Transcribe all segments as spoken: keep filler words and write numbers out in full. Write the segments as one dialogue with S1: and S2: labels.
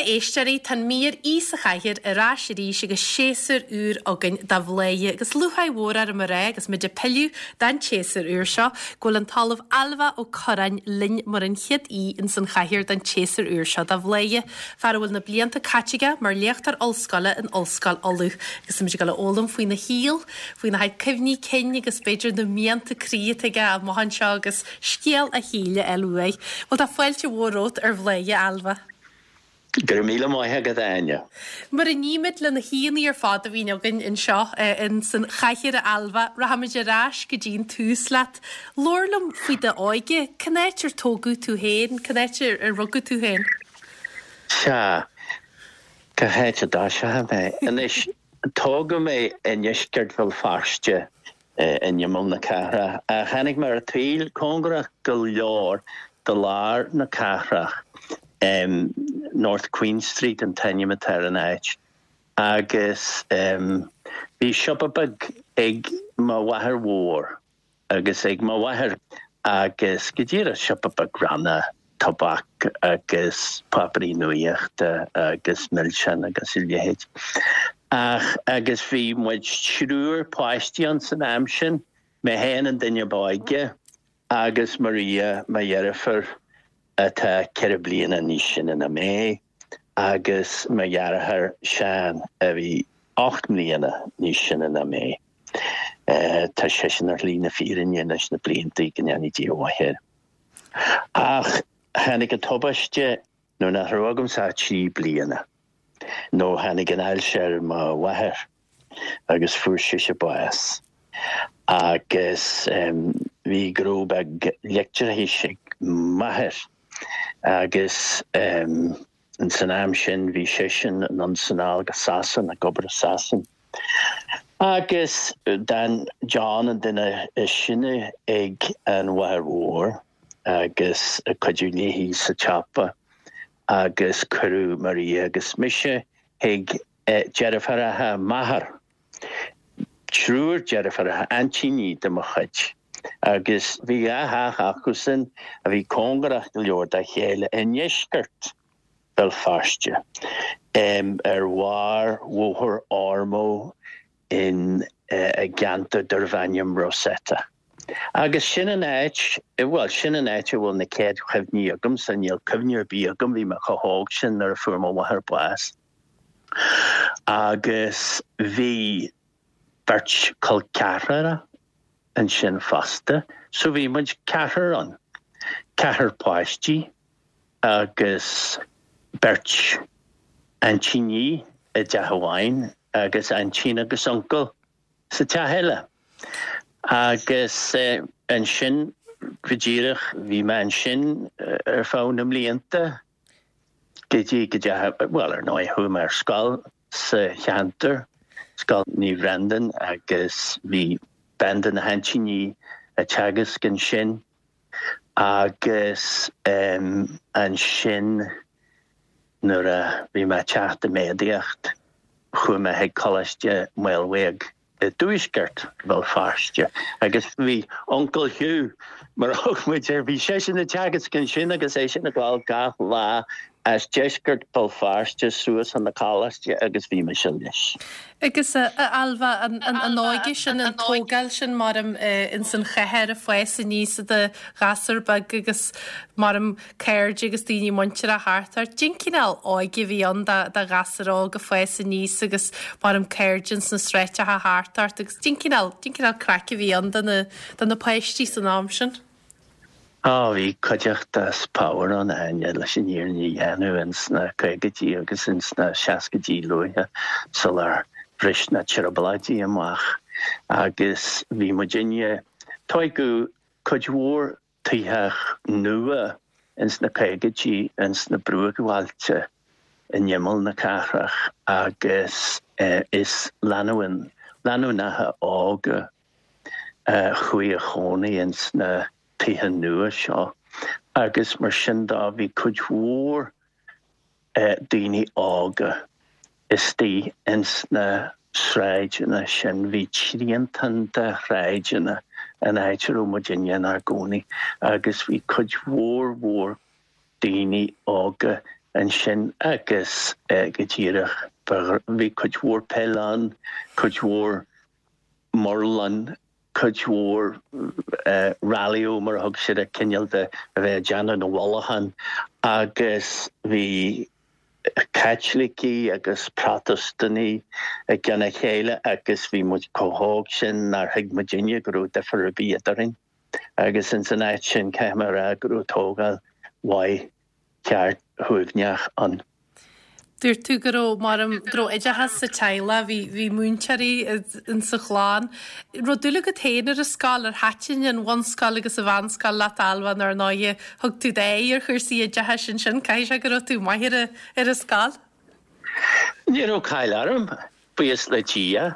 S1: Bhuel a éisteoirí, tá an mír Aoi sa Chathaoir ar ais arís agus séasúr úr againn de Bhladhaire agus lúcháir mhór orm a rá agus muid ag pilleadh don tséasúr úr seo go bhfuil an tOllamh Ailbhe Ó Corráin linn mar an chéad aoi ins an chathaoir don tséasúr úr seo de Bhladhaire, fear a bhfuil na blianta caite aige mar léachtóir ollscoile in Ollscoil Uladh agus tá muid ag dul a fhoghlaim faoina shaol, faoina chuid cuimhní cinn agus b'fhéidir na mianta croí atá aige amach anseo agus scéal a shaoil a fháil uaidh. Bhuel tá fáilte mhór romhat ar Bhladhaire, a Ailbhe.
S2: Go raibh míle maith agat Áine.
S1: Mar a nímid le na haíonna ar fad a bhíonn againn anseo in san chathaoir a Ailbhe, rachaimid ar ais go dtí an tús leat. Labhair liom faoi d'óige, cén áit ar tógadh tú féin, cén áit ar rugadh tú féin?
S2: Sea, cá háit a dtoiseoidh mé. Anois tógadh mé i ndeisceart Bhéal Feirste in imeall na cathrach. Tháinig mé ar an tsaol cóngarach go leor do lár na cathrach. Um, North Queen Street an t-ainm atá ar an áit. Agus um, bhí siopa beag ag mo mháthair mhór agus ag mo mháthair agus go díreach siopa beag ranna tobac agus páipéirí nuachta agus milseáin agus a leithéid. Ach agus bhí muid triúr páistí ann san am sin, mé féin an duine ba óige agus Maria mo dheirfiúr atá ceithre bliana níos sine ná mé, agus mo dheartháir Seán a bhí ocht mbliana níos sine ná mé. Uh, tá seisean ar shlí na fírinne leis na blianta go ndéana Dia mhaith air. Ach tháinig an tubaiste nuair nach raibh agamsa ach trí bliana. Nó tháinig an ailse ar mo mháthair agus fuair sise bás. Agus um, bhí gnó beag leictreachais ag m'athair agus um, in san am sin bhí seisean anonn is anall go Sasain ag obair i Sasain. Agus d'fhan John an duine is sine ag an mháthair mhór agus ag cuidiú léi sa tsiopa agus cuireadh Maria agus mise chuig eh, deirfiúracha m'athar. Triúr deirfiúracha aintíní de mo chuid. Agus bhí dhá theach acusan a bhí cóngarach go leor dá chéile i ndeisceart Bhéal Feirste. Um, ar bharr Bhóthar Ormeau in uh, i gceantar darbh ainm Rosetta. Agus sin an áit well sin an áit a bhfuil na chéad chuimhní agamsa níl cuimhne ar bith agam bhí mé chomh hóg sin nuair a fuair mo mháthair bás. Agus bhí beirt col ceathracha ansin fosta, so bhí muid ceathrar ann. Ceathrar páistí agus beirt aintíní i dteach amháin agus aintín agus uncail sa teach eile. Agus eh, ansin go díreach bhí mé ansin eh, ar feadh na mblianta go dtí go dtí well ar ndóigh chuaigh mé ar scoil sa cheantar Scoil Naomh Bhreandan agus bhí bean de na haintíní ag teagasc ansin agus um, ansin nuair a bhí mé ag teacht i méadaíocht chuaigh mé chuig Coláiste Maolmhaodhóg i dtuaisceart Bhéal Feirste agus bhí Uncle Hugh mar a thug muid air bhí seisean ag teagasc ansin agus é sin ag gabháil gach lá as deisceart Bhéal Feirste suas chun na coláiste agus bhí mise leis.
S1: Agus a Ailbhe an, an, an óige sin an tógáil sin mar in san chathair ag fás aníos i do ghasúr beag agus mar cairde agus daoine muinteartha thart ort. Cén cineál óige a bhí ann do ghasúr óg ag fás aníos agus mar cairde sna sráideacha thart ort agus cén cineál cén cineál craic a bhí ann do na do na páistí san am sin.
S2: Á bhí cuideachta is power ann Áine leis an fhírinne a dhéanamh ins na caogaidí agus ins na seascaidí luaithe sular bhris na trioblóidí amach agus bhí muidinne tógadh cuid mhór tithe nua ins na caogaidí ins na bruachbhailte in imeall na cathrach agus eh, is lánúin lánúineacha óga eh, chuaigh a chónaí ins na tithe nua seo agus mar sin de bhí cuid mhór eh, daoine óga istigh ins na sráideanna sin bhí triantán de shráideanna an áit a raibh muidinne inár gcónaí agus bhí cuid mhór mhór daoine óga ansin agus go díreach bhí cuid mhór peil ann, cuid mhór murlán, cuid mhór rallyó mar a thug siad air, cineál de a bheith ag déanamh na bhfolachán agus bhí Caitlicigh agus Protastúnaigh i gcionn a chéile agus bhí muid chomh hóg sin nár thuig muidinne go raibh difear ar bith eadrainn agus ins an áit sin caithfidh mé a rá go raibh tógáil mhaith cheart shuaimhneach ann.
S1: Dúirt tú go raibh, mar go raibh oideachas sa teaghlach, bhí, bhí múinteoirí in sa chlann. Raibh dúil agat féin ar an scoil, ar thaitin an bhunscoil agus an mheánscoil leat Ailbhe nó ar ndóighe thug tú d'aghaidh ar chúrsaí oideachais ansin, caithfidh sé go raibh tú maith ar an, ar an scoil?
S2: Ní raibh caill orm, buíochas le Dia,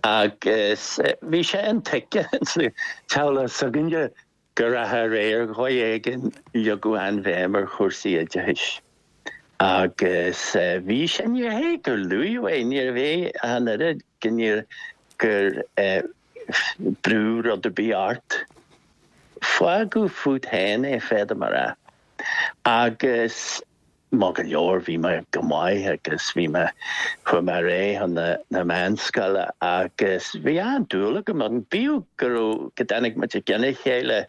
S2: agus bhí sé intuigthe sa teaghlach s'againne go rachadh ar aghaidh ar dhóigh éigin, leagadh an-bhéim ar chúrsaí oideachais. Agus bhí sé, ní hé gur luadh é, níorbh é an oiread go níor, gur brúdh rud ar bith ort. Fágadh fút féin é, féadaim a rá. Agus maith go leor, bhí mé go maith agus bhí mé, chuaigh mé ar aghaidh chun na, na meánscoile agus bhí an-dúil agam ann. Bíodh go raibh, go dtáinig muid i gcionn a chéile,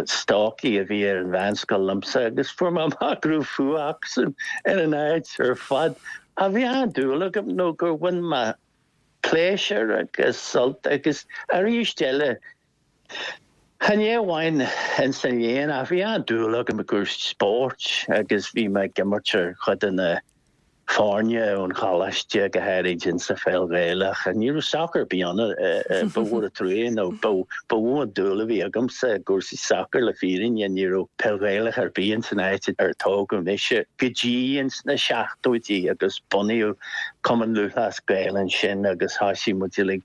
S2: stócaigh a bhí ar an mheánscoil liomsa agus fuair mé amach go raibh fuath acusan ar an áit ar fad. Ach bhí an-dúil agam nó gur bhain mé pléisiúr agus sult agus arís eile chan é amháin ins an léann ach bhí an-dúil agam i gcúrsaí spóirt agus bhí mé ag imirt ar chuid de na foirne ón choláiste, go háirid insa pheil Ghaelach. Ní raibh sacar ar bith ann, ba mhór an trua nó ba mhó an dúil a bhí agamsa i gcúrsaí sacair le fírinne, ní raibh peil Ghaelach ar bith ins an áit ar tógadh mise go dtí ins na seachtóidí agus bunaíodh Cumann Lúthchleas Gael ansin agus thosaigh muid uilig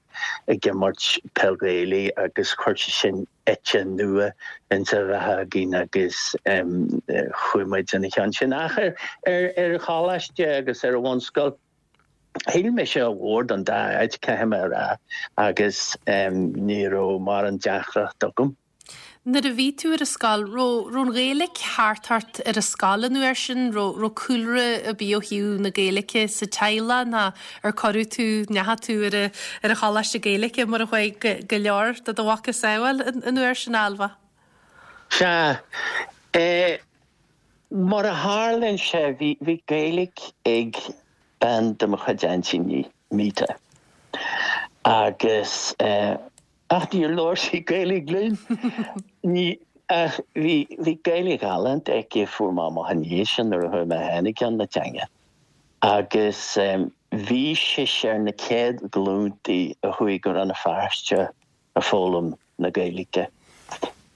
S2: ag imirt peil Ghaelaí agus chuir sé sin eite nua insa bheatha againn agus chuaigh muid ina cheann sin. Ach ar ar choláiste agus ar an bhunscoil, shíl mise ar mhór don dá áit, caithfidh mé a rá, agus ní raibh mórán deacracht agam.
S1: Nuair a bhí tú ar an scoil, raibh raibh an Ghaeilge thart ort ar an scoil an uair sin? Raibh raibh cúlra ar bith ó thaobh na Gaeilge sa teaghlach ná ar cuireadh tú, ndeachaigh tú ar a ar an choláiste Gaeilge mar a chuaigh go go leor de do mhacasamhail an an uair sin, Ailbhe?
S2: Sea. Eh, mar a tharlaíonn sé, bhí bhí Gaeilge ag bean de mo chuid aintíní, Mita. Agus eh, Ach níor labhair sí Gaeilge linn. Ní, ach bhí, bhí Gaeilge ghalánta aici, fuair mé amach ina dhiaidh sin nuair a chuaigh mé féin i gcionn na teanga. Agus bhí sise ar na céad ghlúntaí a chuaigh go Rann na Feirste ag foghlaim na Gaeilge.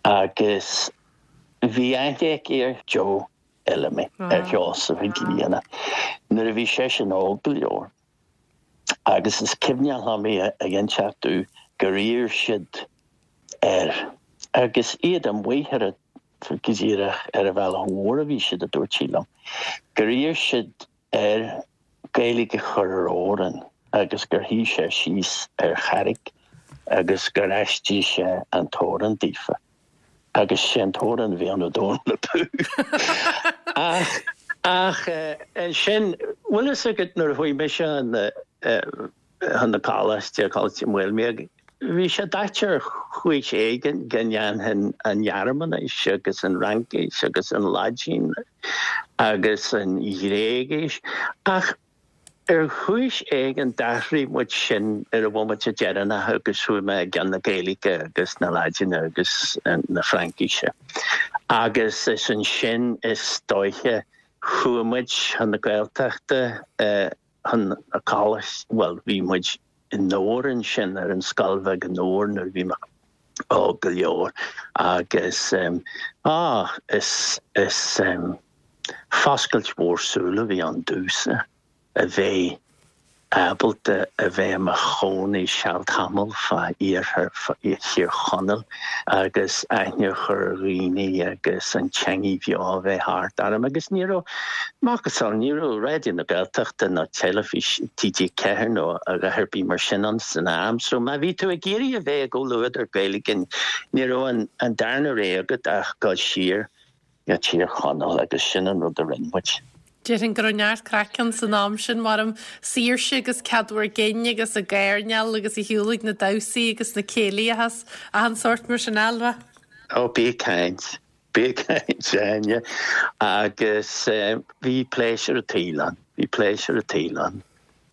S2: Agus bhí aithne aici ar Joe Fheilimí, ar Sheosamh Mhic Grianna, nuair a bhí seisean óg go leor. Agus is cuimhneach liom í ag inseacht domh gur iarr siad air, agus iad amuigh ar a, go díreach ar an bhealach mhór a bhí siad, a dúirt sí liom, gur iarr siad air Gaeilge a chur ar amhrán agus gur shuigh sé síos ar charraig agus gur aistrigh sé an t-amhrán daofa. Agus sé an t-amhrán a bhí ann Dónal Abú. Ach, ach ansin, bhfuil fhios agat nuair a chuaigh mise chun na, chun na coláiste, Coláiste Mhaoilmhic, bhí sé daite ar chúis éigin go ndéanfainn an Ghearmáinis agus an Fhraincis agus an Laidin agus an Ghréigis ach Ar chúis éigin d'athraigh muid sin ar an bhomaite deireanach agus chuaigh mé i gceann na Gaeilge agus na Laidine agus na Fraincise. Agus is ansin is dóiche chuaigh muid chun na Gaeltachta, chun na coláiste, bhuel bhí muid i nDobhar ansin, ar an scoil bheag i nDobhar nuair a bhí mé óg go leor agus ah is is foscailt mhór súl a bhí ann domhsa. a bheith ábalta a bheith i mo chónaí seal tamall fá iarthar Thír Chonaill agus aithne a chur ar dhaoine agus an teangaidh bheo a bheith thart orm agus ní raibh macasamhail, ní raibh Raidió na Gaeltachta ná teilifís T G ceathair nó a dhath ar bith mar sin ann san am so má bhí tú ag iarraidh a bheith i gcomhluadar Gaeilge ní raibh an darna rogha agat ach dul siar go Tír Chonaill agus sin an rud a rinne muid.
S1: Déarfainn go raibh neart craic ann san am sin mar am saoirse agus cead bhur gcinn agus ag airneál agus ag siúl ag na damhsaí agus na céilithe is achan sórt mar sin Ailbhe.
S2: Ó bí ag caint, bí ag caint Áine agus bhí pléisiúr an tsaoil ann, bhí pléisiúr an tsaoil ann.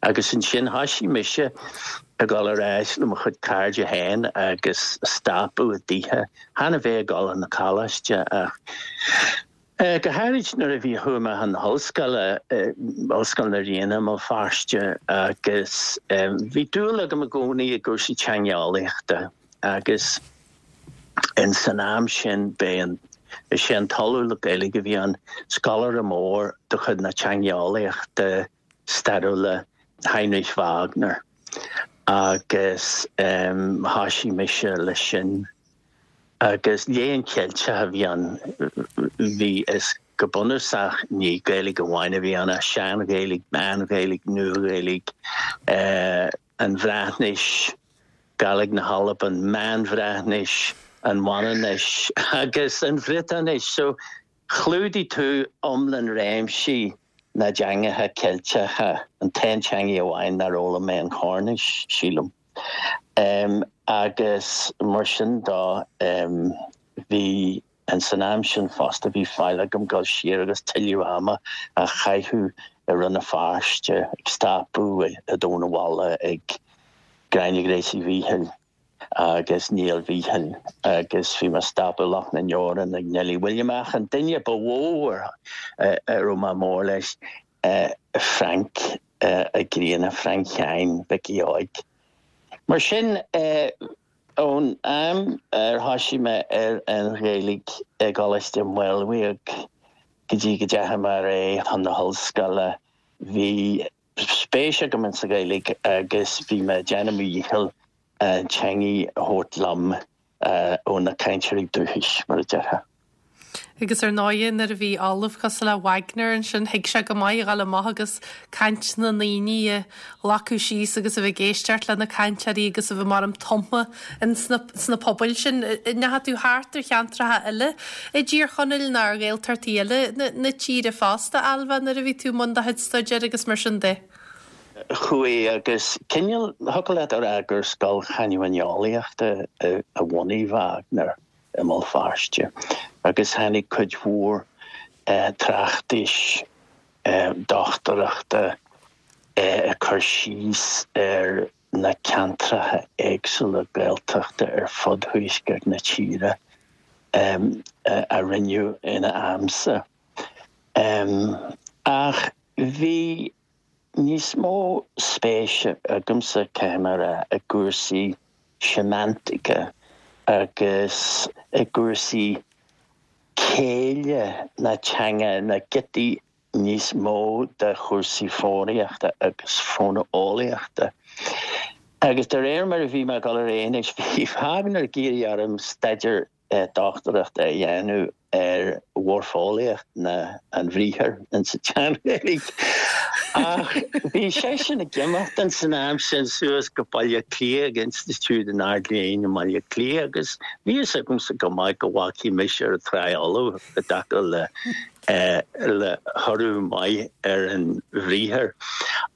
S2: Agus ansin thoisigh mise ag dul ar ais le mo chuid cairde féin agus stopadh i dtithe, chan a bheith ag dul chun na coláiste ach go háirid nuair a bhí chuaigh mé chun na hollscoile, Ollscoil na Ríona i mBéal Feirste agus bhí dúil agam i gcónaí i gcúrsaí teangeolaíochta agus in san am sin b'é an is é an tOllamh le Gaeilge a bhí an scoláire mór de chuid na teangeolaíochta stairiúla Heinrich Wagner agus thoisigh mise leis sin agus léann Ceilteach a bhí ann bhí is go bunúsach ní Gaeilge amháin a bhí ann ach Sean-Ghaeilge, Meán-Ghaeilge, Nua-Ghaeilge, an Bhreatnais, Gàidhlig na hAlban, Meán-Bhreatnais, an Mhanainnis agus an Bhriotáinis. So chlúdaigh tú iomlán réimsí na dteangacha Ceilteacha, an t-aon teanga amháin nár fhoghlaim mé an Chornais, sílim. Um, agus mar sin de um, bhí an san am sin fosta bhí fáil agam dul siar agus tuilleadh ama a chaitheamh i Rann na Feirste ag stopadh i dTóin an Bhalla ag Gráinne Gracie Mhíchil agus Niall Mhíchil agus bhí mé ag stopadh Loch na nDeoran ag Neilí William ach an duine ba mhó a raibh mé mór leis Frank Ó Grianna Frank Sheáin Mhicí Óig. Mar sin ón am ar thoisigh mé ar an Ghaeilge i gColáiste Mhaolmhaodhóg go dtí go dteachaigh mé ar aghaidh chun na hollscoile bhí spéis agam in sa Ghaeilge agus bhí mé ag déanamh mo dhícheall an teangaidh a thabhairt liom ó na cainteoirí dúchais mar a déarfá.
S1: Agus ar ndóigh nuair a bhí ollamh cosúil le Wagner ansin thuig sé go maith a dhul amach agus caint na ndaoine a ghlacadh síos agus a bheith ag éisteacht le na cainteoirí agus a bheith mar am tumtha sna, sna pobail sin. Ndeachaigh tú thart ar cheantracha eile i dTír Chonaill nó ar Ghaeltachtaí eile na, na tíre fosta Ailbhe nuair a bhí tú i mbun do chuid staidéir agus mar sin de.
S2: Chuaigh agus cineál thiocfadh leat a rá gur scoil chanúineolaíochta a bhunaigh Wagner i mBéal Feirste agus tháinig cuid mhór tráchtais dochtúireachta ag cur síos ar na ceantracha éagsúla Gaeltachta ar fud thuaisceart na tíre a rinneadh ina amsa. Ach bhí níos mó spéise agamsa caithfidh mé a rá i gcúrsaí seimeantaice agus i gcúrsaí céille na teanga na giotaí níos mó de chúrsaí foghraíochta agus fóineolaíochta. Agus de réir mar a bhí mé ag dul ar aghaidh anois bhí Wagner ag iarraidh orm staidéar dochtúireachta a dhéanamh ar mhoirfeolaíocht na an bhriathair insa tSean-Ghaeilge. Ach bhí seisean ag imeacht in san am sin suas go Baile Átha Cliath ag Institiúid an Ard-Léinn i mBaile Átha Cliath agus bhí fhios agamsa go maith go bhfágfaidh mise ar an Tráigh Fholamh i dtaca le le thoradh maith ar an bhriathar.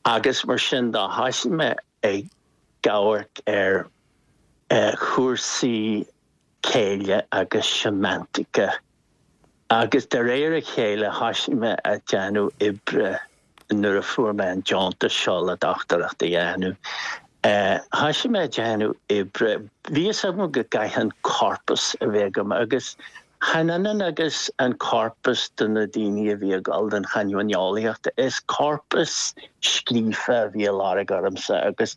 S2: Agus mar sin de thoisigh mé ag amharc ar chúrsaí céille agus seimeantaice. Agus de réir a chéile thoisigh mé ag déanamh oibre nuair a fuair mé an deontas seo le dochtúireacht a dhéanamh. Thoisigh mé ag déanamh oibre, bhí fhios agam go gcaithfinn corpas a bheith agam agus chan ionann agus an corpas do na daoine a bhí ag dul don chanúineolaíocht, is corpas scríofa a bhí á lorg ormsa agus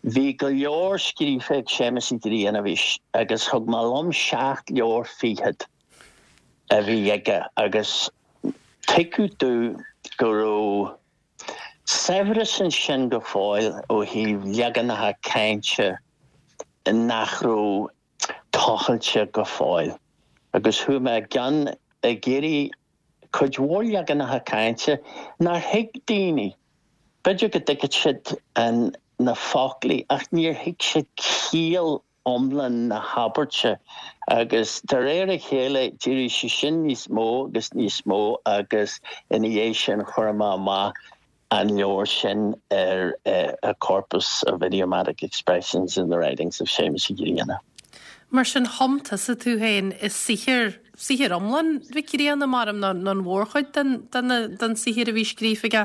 S2: bhí go leor scríofa ag Séamus Uí Bhriain a bhí agus thug mé liom seacht leabhar fichead a bhí aige agus tuigeadh domh go raibh saibhreas ansin go fóill ó thaobh leaganacha cainte nach raibh tochailte go fóill. Agus chuaigh mé i gcionn ag iarraidh cuid mhór leaganacha cainte nár thuig daoine. B'fhéidir go dtuigfeadh siad an na foclaí ach níor thuig siad ciall iomlán na habairte agus de réir a chéile d'éirigh sé sin níos mó agus níos mó agus ina dhiaidh sin chuir mé amach an leabhar sin ar a corpus of idiomatic expressions in the writings of Séamus Ó Grianna.
S1: Mar sin thum tusa tú féin i saothar saothar iomlán Mhic Grianna mar nó an mhórchuid den saothar a bhí scríofa aige.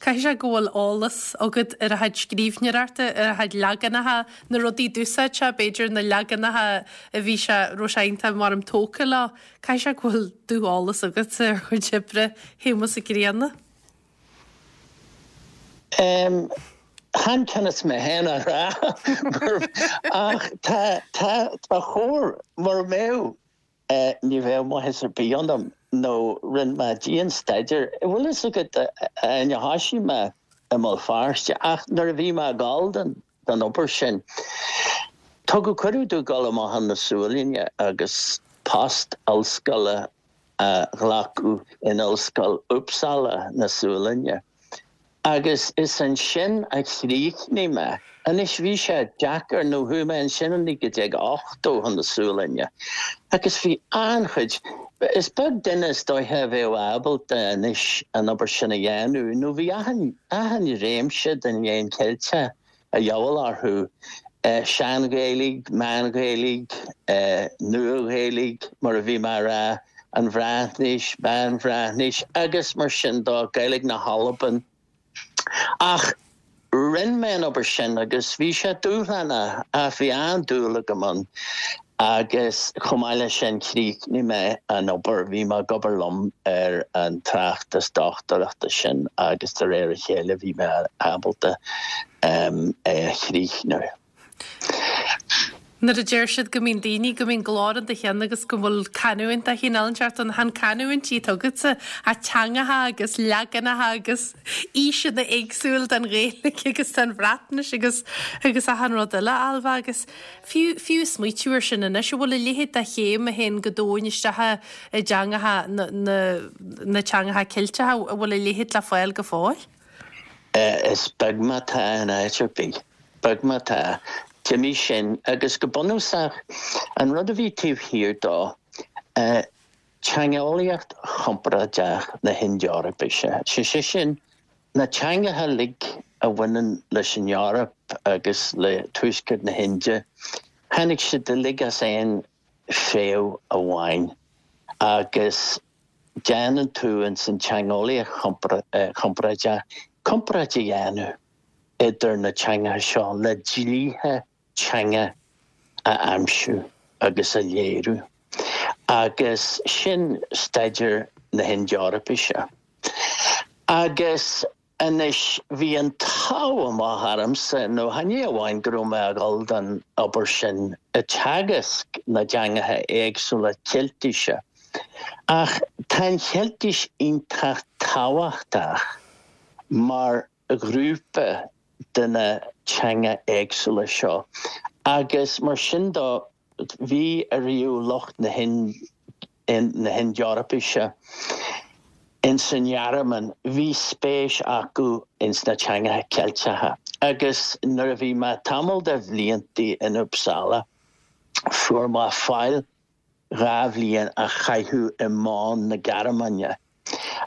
S1: Caithfidh sé go bhfuil eolas agat ar a chuid scríbhneoireachta ar a chuid leaganacha na rudaí a d'úsáid sé b'fhéidir na leaganacha a bhí sé raibh sé iontach mar tógtha leo. Caithfidh sé go bhfuil dúeolas agat ar chuid oibre Shéamuis Uí Ghrianna.
S2: Um, Chan conas mé féin a rá ach tá tá chóir mar mé ní bheadh maitheas ar bith ionam nó rinne mé dian-staidéar. Bhfuil fhios agat níor thosaigh mé i mBéal Feirste ach nuair a bhí mé ag gabháil don don obair sin. Tugadh cuireadh domh dul amach chun na Sualainne agus post ollscoile a ghlacadh in Ollscoil Uppsala na Sualainne. Agus is ansin a chríochnaigh mé. Anois bhí sé deacair nó chuaigh mé ansin in naoi déag ochtó chun na Sualainne. Agus bhí an-chuid is beag duine is dóiche a bheadh ábalta anois an obair sin a dhéanamh, nó bhí achan achan réimse den Léann Ceilteach a dhíobháil orthu, Sean-Ghaeilge, Meán-Ghaeilge, Nua-Ghaeilge, mar a bhí mé a rá, an Bhreatnais, Meán-Bhreatnais agus mar sin de, Gaeilge na hAlban. Ach rinne mé an obair sin agus bhí sé dúshlánach ach bhí an-dúil agam ann agus chomh maith leis sin chríochnaigh mé an obair, bhí mé ag obair liom ar an tráchtas dochtúireachta sin agus de réir a chéile bhí mé ábalta é a chríochnú.
S1: Nuair a deir siad go mbíonn daoine, go mbíonn glór in do cheann agus go bhfuil canúint de chineál inteacht ann, chan canúintí atá agatsa, ach teangacha agus leaganacha agus aoiseanna éagsúil den Ghaeilge agus den Bhreatnais agus agus achan rud eile, Ailbhe, agus fiú fiú smaoitiú ar sin anois, an bhfuil a leithéid de chéim a théann go domhain isteach i dteangacha na na na teangacha Ceilteacha, an bhfuil a leithéid le fáil go fóill?
S2: Is beag má tá in áit ar bith. Beag má tá. D'imigh sin agus go bunúsach an rud a bhí taobh thiar dó, teangeolaíocht chomparáideach na hInd-Eorpaise, sé sin, na teangacha uilig a bhaineann leis an Eoraip agus le tuaisceart na hInde, tháinig siad uilig as aon fréamh amháin agus déanann tú ins an teangeolaíocht chomparáideach comparáid a dhéanamh idir na teangacha seo le dlíthe teanga a aimsiú agus a léiriú. Agus sin staidéar na hInd-Eorpaise. Agus anois bhí an t-ádh amach ormsa, nó chan é amháin go raibh mé ag dul don obair sin ag teagasc na dteangacha éagsúla Ceiltise, ach tá an Cheiltis iontach tábhachtach mar ghrúpa de na teanga éagsúla seo agus mar sin de bhí ariamh lucht na na hInd-Eorpaise ins an nGearmáin, bhí spéis acu ins na teangacha Ceilteacha agus nuair a bhí mé tamall de bhliantaí in Uppsala fuair mé fáil dhá bhliain a chaitheamh i mBonn na Gearmáine.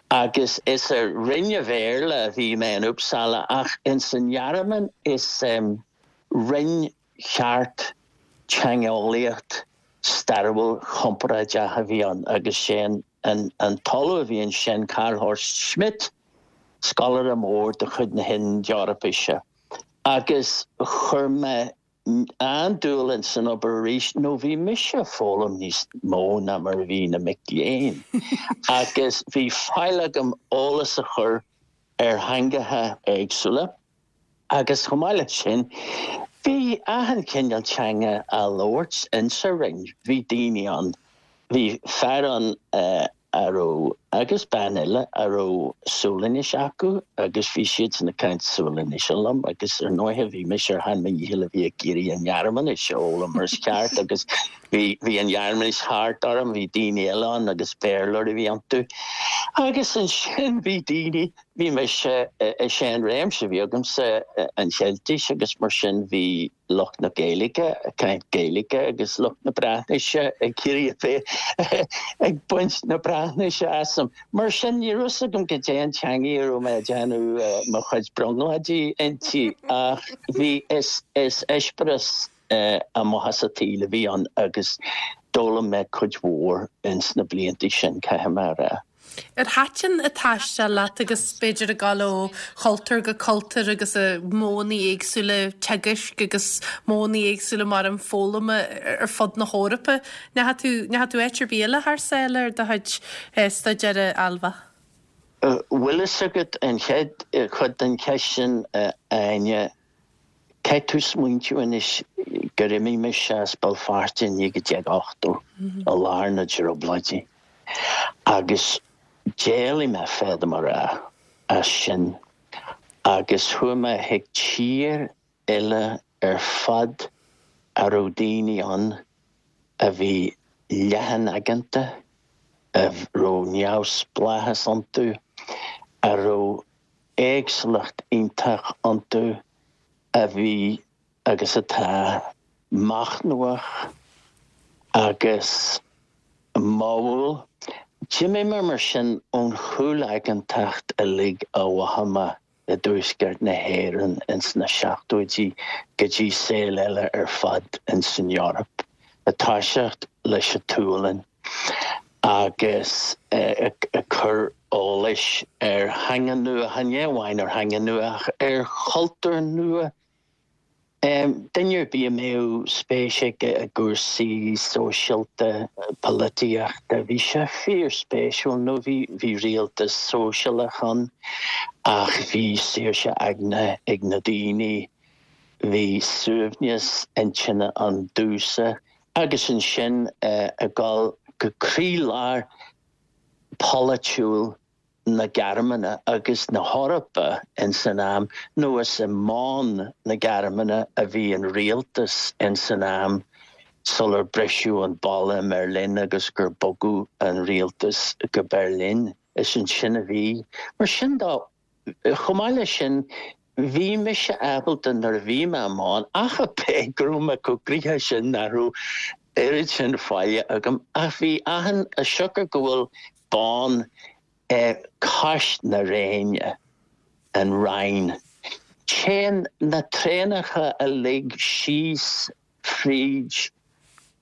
S2: Agus is i Roinn an Bhéarla a bhí mé in Uppsala ach ins an nGearmáin is roinn cheart teangeolaíocht stairiúil chomparáideach a bhí ann agus sé an an t-ollamh a bhí ansin Karl Horst Schmidt, scoláire mór de chuid na hInd-Eorpaise. Agus chuir mé an-dúil ins an obair arís nó bhí mise ag foghlaim níos mó ná mar a bhí na mic léinn agus bhí faill agam eolas a chur ar theangacha éagsúla agus chomh maith leis sin bhí achan chineál teanga á labhairt insa roinn. Bhí daoine ann, bhí fear ann a raibh, agus bean eile a raibh Sualainnis acu agus bhí siadsan ag caint Sualainnise liom agus ar ndóighe bhí mise ar shean mo dhícheall a bhí ag iarraidh an Ghearmáinis a fhoghlaim mar is ceart agus bhí bhí an Ghearmáinis thart orm, bhí daoine eile ann agus Béarlóirí a bhí iontu. Agus ansin bhí daoine, bhí mise, is é an réimse a bhí agamsa an Cheiltis agus mar sin bhí lucht na Gaeilge ag caint Gaeilge agus lucht na Breatnaise ag iarraidh a bheith ag baint na Breatnaise asam. Mar sin, ní raibh fhios agam goidé an teangaidh a raibh mé ag déanamh mo chuid brionglóidí inti ach bhí, is eispéireas amach as an tsaol a bhí ann agus d'fhoghlaim mé cuid mhór ins na blianta sin, caithfidh mé a rá.
S1: Ar thaitin an taisteal leat agus b'fhéidir ag dul ó chultúr go cultúr agus modhanna éagsúla teagaisc agus modhanna éagsúla mar an foghlama ar fud na hEorpa? Ndeachaigh tú, ndeachaigh tú áit ar bith eile thar sáile ar do chuid staidéir, a Ailbhe?
S2: Bhfuil fhios agat an chéad chuid den cheist sin, a Áine, caithfidh tú smaointiú anois gur imigh mise as Béal Feirste i naoi déag ochtó, i lár na dTrioblóidí. Agus d'éalaigh mé, féadaim a rá, as sin agus chuaigh mé chuig tír eile ar fad a raibh daoine ann a bhí leathan-aigeanta, a raibh neamhspleáchas iontu, a raibh éagsúlacht iontach iontu, a bhí agus atá machnamhach agus modhúil. D'imigh mé mar sin ón chúlaigeantacht uilig a mhothaigh mé i dtuaisceart na hÉireann ins na seachtóidí go dtí saol eile ar fad ins an Eoraip, ag toiseacht leis an tSualainn agus ag cur eolais ar theanga nua, chan amháin ar theanga nua ach ar chultúr nua. Duine ar bith a mbeadh spéis aige i gcúrsaí sóisialta, polaitíochta, bhí sé fíorspéisiúil nó bhí bhí rialtas sóisialach ann ach bhí saoirse aigne ag na daoine, bhí suaimhneas intinne ann domhsa agus ansin ag dul go croílár polaitiúil na Gearmáine agus na hEorpa ins an am, nó is i mBonn na Gearmáine a bhí an rialtas ins an am sular briseadh an balla i mBeirlin agus gur bogadh an rialtas go Beirlin. Is ansin a bhí. Mar sin de, chomh maith leis sin, bhí mise ábalta nuair a bhí mé i mBonn, ach ab é go raibh mé chomh gnoitheach sin nach raibh oiread sin faille agam, ach bhí achan, as siocair go bhfuil Bonn cois na Réine, an Rhine. Téann na traenacha uilig síos fríd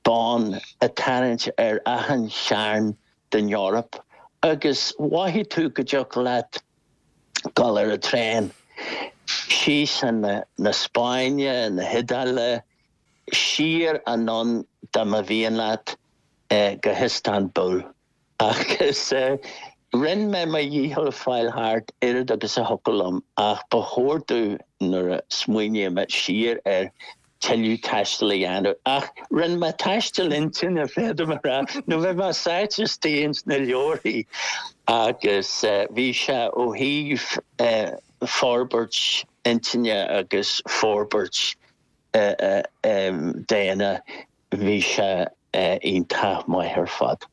S2: Bonn ag tarraingt ar achan chearn den Eoraip agus mhothaigh tú go dtiocfadh leat dul ar an traein síos chun na Spáinne, na hIodáile, siar anonn dá mba mhian leat go hIostanbul. Agus rinne mé mo dhícheall fáil thart oiread agus a thiocfadh liom ach ba chóir domh nuair a smaoiním siar air tuilleadh taistil a dhéanamh. Ach rinne mé taisteal intinne, féadaim a rá, nó bhí mé sáite istigh ins na leabharthaí agus bhí sé ó thaobh forbairt intinne agus forbairt daonna, bhí sé iontach maith ar fad.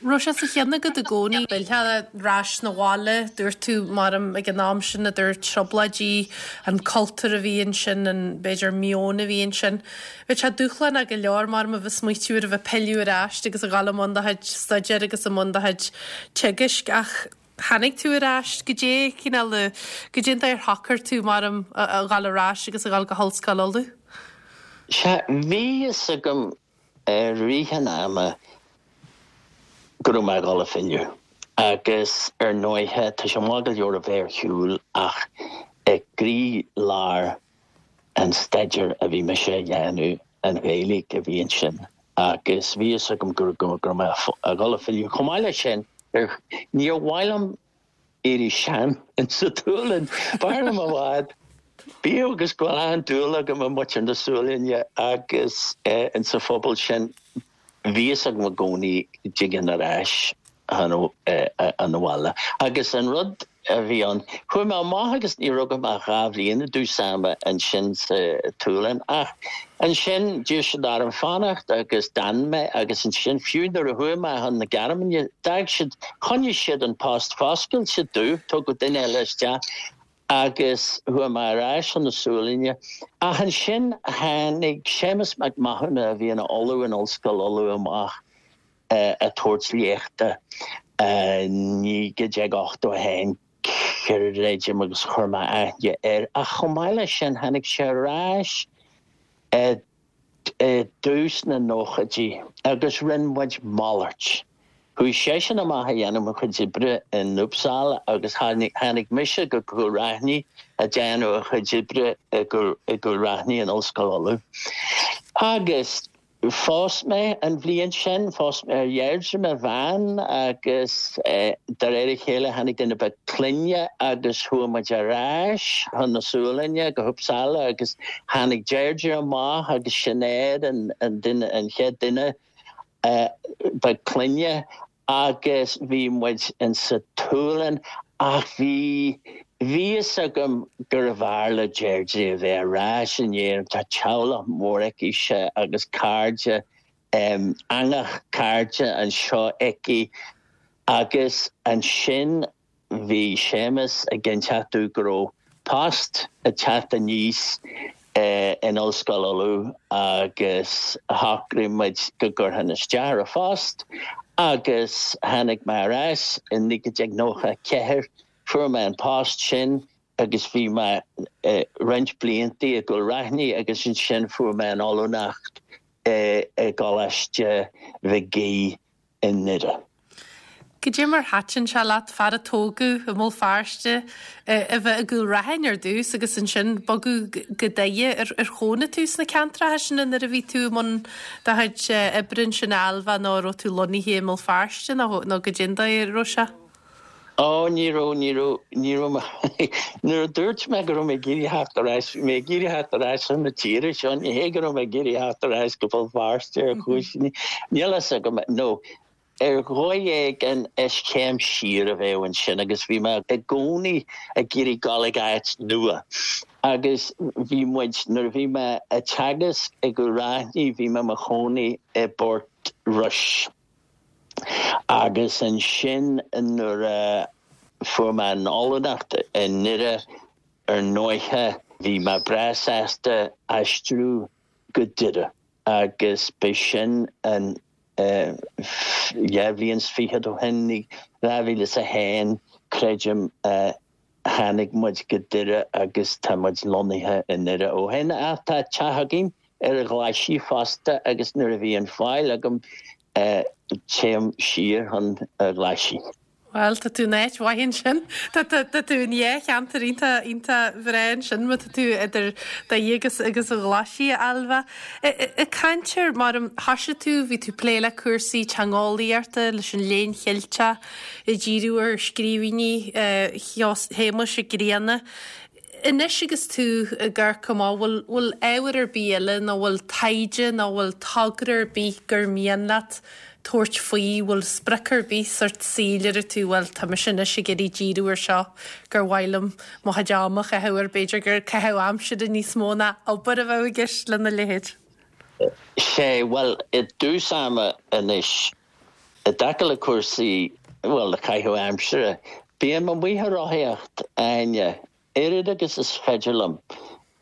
S1: Raibh sé sa cheann agat i gcónaí filleadh ar ais 'na bhaile, dúirt tú, maram, ag an am sin idir trioblóidí, an cultúr a bhí ansin, an, b'fhéidir, meon a bhí ansin. Bheadh sé dúshlánach go leor, maram, a bheith smaoitiú ar a bheith pilleadh ar ais agus a dhul i mbun do chuid staidéir agus i mbun do chuid teagaisc ach tháinig tú ar ais, goidé cineál, goidé an dóigh ar shocair tú, maram, a dhul ar ais agus a dhul go hOllscoil Uladh?
S2: Sea, bhí fhios agam i rith an ama go raibh mé ag dul a philleadh. Agus ar ndóighe, tá sé maith go leor a bheith ar shiúl ach i gcroílár an staidéir a bhí mise a dhéanamh, an Ghaeilge a bhí ansin agus bhí fhios agam go raibh mé ag dul a philleadh. Chomh maith leis sin, níor mhaith liom éirí sean insa tSualainn. B'fhearr liom i bhfad, bíodh agus go bhfuil an-dúil agam i muintir na Sualainne agus insa phobal sin, bhí fhios agam i gcónaí go dtigeann ar ais chun an bhaile. Agus an rud a bhí ann, chuaigh mé amach agus ní raibh agam ach dhá bhliain i dtús ama ansin sa tSualainn ach ansin d'iarr siad orm fanacht agus d'fhan mé agus ansin fiú nuair a chuaigh mé chun na Gearmáine d'fhág siad, choinnigh siad an post foscailte domh, tugadh duine eile isteach agus chuaigh mé ar ais chun na Sualainne. Ach ansin tháinig Séamus Mac Mathúna a bhí ina ollamh in Ollscoil Uladh amach ag tabhairt léachta naoi déag ochtó a haon, creidim, agus chuir mé aithne air. Ach chomh maith leis sin tháinig sé ar ais i dtús na nóchaidí agus rinne muid malairt. Chuaigh seisean amach a dhéanamh a chuid oibre in Uppsala agus tháinig mise go Cúil Raithin a déanamh a chuid oibre i gCúil Raithin in Ollscoil Uladh. Agus phós mé an bhliain sin, phós mé ar Dheirdre, mo bhean, agus de réir a chéile tháinig duine beag clainne agus chuaigh muid ar ais chun na Sualainne go hUppsala agus tháinig Deirdre amach agus Sinéad an an duine an chéad duine beag clainne agus bhí muid in sa tSualainn ach bhí bhí fhios agam gurbh fhearr le Deirdre a bheith ar ais in Éirinn, tá teaghlach mór aici agus cairde eangach cairde anseo aici agus ansin bhí Séamus ag inseacht domh go raibh post ag teacht aníos in Ollscoil Uladh agus shocraigh muid go gcuirfinn isteach ar an phost agus tháinig mé ar ais i naoi déag nócha a ceathair, fuair mé an post sin agus bhí mé roinnt blianta i gCúil Raithin agus ansin fuair mé an ollúnacht i gColáiste Mhig Aoidh i nDoire.
S1: Cad é mar thaitin sé leat, fear a tógadh i mBéal Feirste, a bheith i gCúil Raithin ar dtús agus ansin bogadh go Doire. Ar chónaigh tú sna ceantracha sin nuair a bhí tú i mbun do chuid oibre ansin a Ailbhe nó an raibh tú lonnaithe i mBéal Feirste nó nó cad é an dóigh a raibh sé?
S2: Ó, ní raibh, ní raibh, ní raibh mé, nuair a dúirt mé go raibh mé ag iarraidh theacht ar ais, bhí mé ag iarraidh theacht ar ais chun na tíre seo, ní hé go raibh mé ag iarraidh theacht ar ais go Béal Feirste ar chúis, níl a fhios agam, nó ar dhóigh éigin is céim siar a bheadh ansin agus bhí mé i gcónaí ag iarraidh dul ag áit nua agus bhí muid, nuair a bhí mé ag teagasc i gCúil Raithin bhí mé mo chónaí i bPort Rois agus ansin nuair a fuair mé an ollúnacht i nDoire ar ndóiche bhí mé breá sásta aistriú go Doire agus b'shin an dhá bhliain is fichead ó shin, dhá mhíle is a haon, creidim, tháinig muid go Doire agus tá muid lonnaithe i nDoire ó shin. Ach tá teach againn ar an Ghlaisigh fosta agus nuair a bhíonn faill agam téim siar chun an Ghlaisigh.
S1: Bhuel, tá tú in áit mhaith ansin. Tá tá tú in dhá cheantar iontach iontach bhreá ansin má tá tú idir Doire agus agus an Ghlaisigh, a Ailbhe. Ag caint ar mar a thoisigh tú, bhí tú ag plé le cúrsaí teangeolaíochta, leis an Léann Cheilteach, ag díriú ar scríbhinní Shéamuis Mhic Grianna. Anois agus tú ag amharc amach, bhfuil bhfuil ábhar ar bith eile nó bhfuil taighde nó bhfuil togra ar bith gur mian leat tabhairt faoi, bhfuil sprioc ar bith sórt saoil a deir tú, bhuel tá mise anois ag iarraidh díriú ar seo gur mhaith liom mo chuid ama a chaitheamh air, b'fhéidir gur caitheamh aimsire níos mó ná obair a bheadh i gceist lena leithéid.
S2: Sé, bhuel, i dtús ama anois, i dtaca le cúrsaí, bhuel, le caitheamh aimsire, bím amuigh ag rothaíocht, Áine, oiread agus is féidir liom.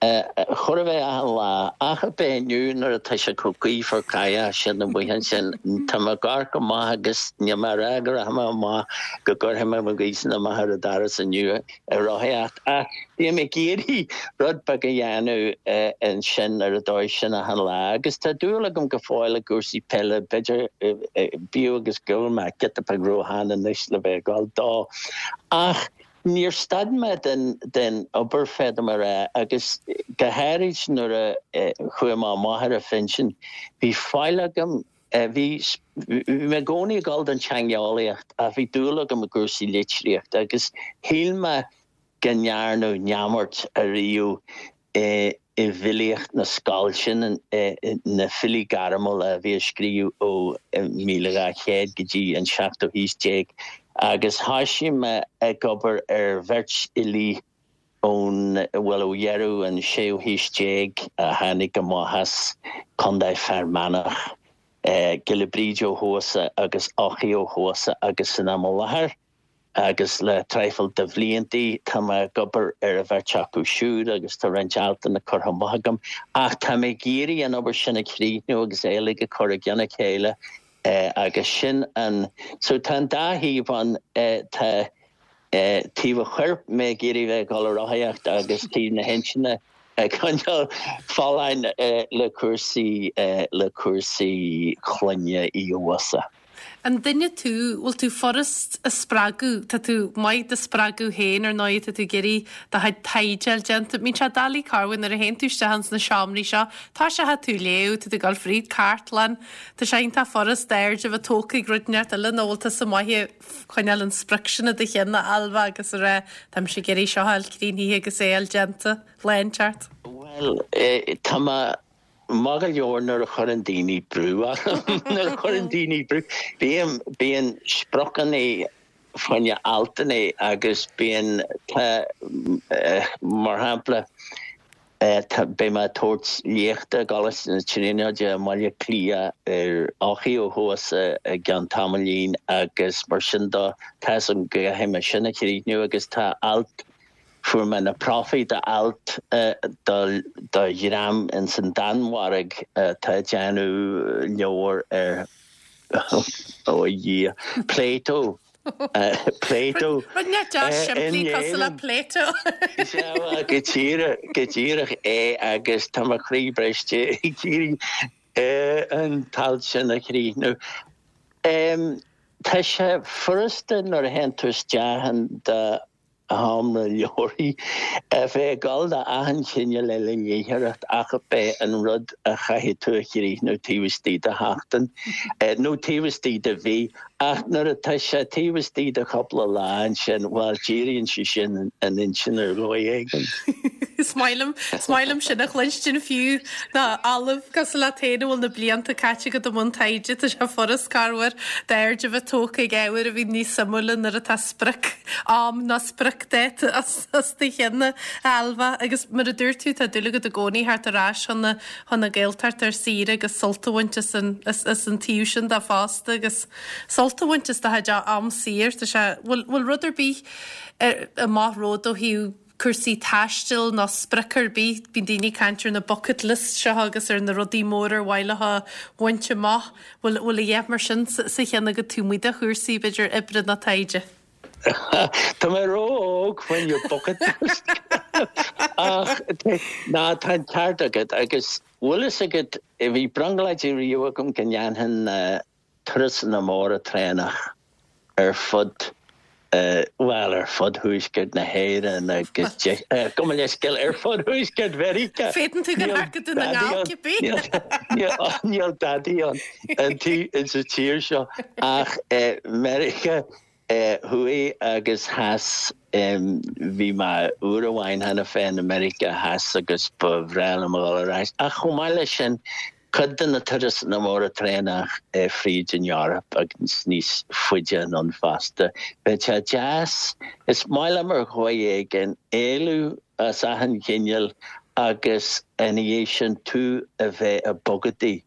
S2: Chóir a bheith achan lá, ach ab é inniu nuair atá sé chomh gaofar cáidheach sin amuigh ansin, tá mé ag amharc amach agus níl mé ag rá go rachaidh mé amach go gcuirfidh mé mo ghaothsan amach ar an doras inniu ag rothaíocht ach bím ag iarraidh rud beag a dhéanamh ansin ar an dóigh sin achan lá agus tá dúil agam go fóill i gcúrsaí peile, b'fhéidir bíodh agus go bhfuil mé giota beag róshean anois le bheith ag dul dó ach Níor stad mé den obair, féadaim a rá, agus go háirid nuair a chuaigh mé amach ar an phinsean, bhí faill agam, bhí mé i gcónaí ag dul don teangeolaíocht ach bhí dúil agam i gcúrsaí litríochta agus shíl mé go ndearnadh neamart ariamh i bhfilíocht na scol sin, na filí gairmiúla a bhí ag scríobh ó míle dhá chéad go dtí an seachtú haois déag, agus thoisigh mé ag obair ar bheirt fhilí ón, bhuel, ó dheireadh an séú haois déag a tháinig amach as Contae Fear Manach, Giolla Bríde Ó hEodhasa agus Eochaidh Ó hEodhasa agus san am i láthair. Agus le traidhfil de bhliantaí tá mé ag obair ar an bheirt acu siúd agus tá roinnt altanna curtha amach agam. Ach tá mé ag iarraidh an obair sin a chríochnú agus é uilig a chur i gcionn a chéile agus sin an, so tá an dá thaobh ann, tá taobh an choirp, mé ag iarraidh bheith ag dul ag rothaíocht agus taobh na hintinne ag coinneáil folláin le cúrsaí, le cúrsaí clainne Uí Eodhasa.
S1: An duine tú, bhfuil tú furast a spreagadh, tá tú maith do spreagadh féin ar ndóigh, tá tú ag iarraidh do chuid taighde a fháil déanta. Bíonn sé doiligh corruair nuair a théann tú isteach ins na seomraí seo, tá sé tú léamh, tá tú ag dul fríd cartlann, tá sé iontach furast d'aird a bheith tógtha ag rud inteacht eile nó bhfuil tusa maith ag coinneáil an sprioc sin i do cheann a Ailbhe agus a rá táimse ag iarraidh seo a fháil críochnaithe agus é a fháil déanta, lá inteacht.
S2: Bhuel, tá mé maith go leor nuair a chuireann daoine brú orm. Nuair a chuireann daoine brú, bíonn, bíonn spriocanna fá choinne altanna agus bíonn, tá, mar shampla, tá, beidh mé ag tabhairt léachta i gColáiste na Tríonóide i mBaile Átha Cliath ar Eochaidh Ó hEodhasa i gceann tamaillín agus mar sin de, tá 'fhios agam go gcaithfidh mé sin a chríochnú agus tá alt, Fuair mé na profaí d'alt do dhream ins an Danmhairg atá ag déanamh leabhar ar, ó a Dhia, Plato. Plato.
S1: Rud inteacht deas simplí cosúil le Plato.
S2: Sea, bhuel, go díreach, go díreach é agus tá mo chroí briste ag iarraidh an t-alt sin a chríochnú. Tá sé furasta nuair a théann tú isteach in do sheomra leabharthaí, a bheith ag dul do achan chineál eile léitheoireacht ach ab é an rud a chaithfidh tú a chríochnú taobh istigh de sheachtain, nó taobh istigh de mhí. Ach nuair atá sé taobh istigh de chúpla lá ansin, bhuel, díríonn sé sin an intinn ar dhóigh éigin.
S1: Is maith liom, is maith liom sin a chluinstin fiú ná ollamh cosúil leat féin a bhfuil na blianta caite agat i mbun taighde, tá sé furast corruair d'aird a bheith tógtha ag ábhair a bhíonn níos suimiúla nuair atá sprioc am nó spriocdháta os do chionn a Ailbhe agus mar a dúirt tú tá dúil agat i gcónaí theacht ar ais chun na chun na Gaeltachta ar saoire agus sult a bhaint as an as as an taobh sin de fosta agus sult a bhaint as do chuid am saor tá sé bhfuil bhfuil rud ar bith ar amach romhat ó thaobh cúrsaí taistil nó sprioc ar bith, bíonn daoine ag caint ar na bucket list seo agus ar na rudaí móra ar mhaith leo a bhaint amach. Bhfuil bhfuil a dhath mar sin sa cheann agat taobh amuigh de chúrsaí b'fhéidir oibre nó taighde?
S2: Tá mé ró-óg fá choinne bucket list ach ná tá an ceart agat agus bhfuil fhios agat bhí brionglóid riamh agam go ndéanfainn turasanna móra traenach ar fud bhuel, ar fud thuaisceart na hÉireann agus gabh mo leithscéal, ar fud thuaisceart Mheiriceá.
S1: Féadann tú go ndearca tú na nGall cibé.
S2: Níl dadaí ann sa tír seo ach Meiriceá Thuaidh agus Theas. Bhí mé uair amháin cheana féin i Meiriceá Theas agus ba bhreá liom a dhul ar ais. Ach chomh maith leis sin, Cuid de na turasanna móra traenach fríd an Eoraip agus níos faide anonn fosta. Bheadh sé deas, is maith liom ar dhóigh éigin, éalú as achan chineál agus ina dhiaidh sin tú a bheith ag bogadaí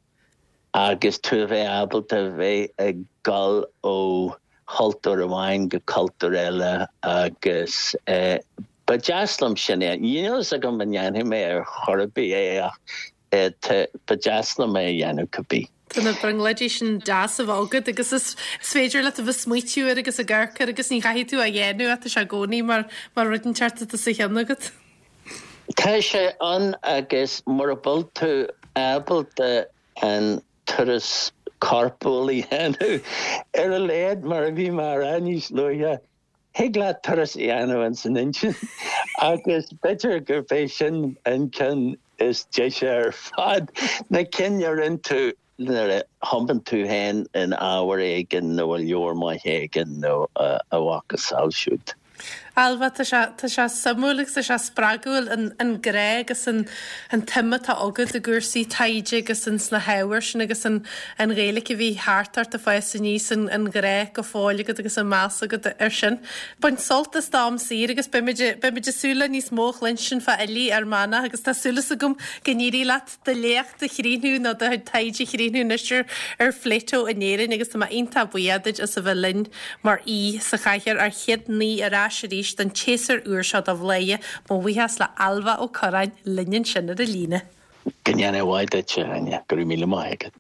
S2: agus tú a bheith ábalta a bheith ag dul ó chultúr amháin go cultúr eile agus ba deas liom sin é. Níl a fhios agam an ndéanfaidh mé ar chor ar bith é ach Ba deas liom é a dhéanamh cibé.
S1: Tá na brionglóidí sin deas a bheith agat agus is féidir leat a bheith ag smaoitiú air agus ag amharc air agus ní chaithfidh tú é a dhéanamh ach tá sé i gcónaí mar mar rud inteacht atá sa cheann agat.
S2: Tá sé ann agus mura bhfuil tú ábalta an turas corpúil a dhéanamh, ar a laghad mar a bhí mé a rá níos luaithe, Thig leat turas a dhéanamh ins an intinn agus b'fhéidir gurb é sin an ceann is deise ar fad, na cinn a rinne tú nuair a thiomáin tú féin in ábhar éigin nó i leabhar maith éigin nó a mhacasamhail siúd.
S1: Ailbhe, tá sé tá sé suimiúil agus tá sé spreagúil an an grá agus an an tsuim atá agat i gcúrsaí taighde agus in sna hábhair sin agus an an Ghaeilge a bhí thart ort ag fás aníos an an grá go fóill agat agus an meas agat ar sin. Bain sult as d'am saor agus beimid beimid ag súil le níos mó a chluinstin fá fhilí Fhear Manach agus tá súil agam go n-éirí leat do léacht a chríochnú nó do taighde a chríochnú anois ar ar Phláto in Éirinn agus tá mé iontach buíoch duit as a bheith linn mar aoi sa chathaoir ár chéad aoi ar ais arís don tséasúr úr seo de Bhladhaire mo bhuíochas le Ailbhe Ó Curráin linn ansin ar an líne.
S2: Go ndéana mhaith duit Áine go raibh míle maith agat.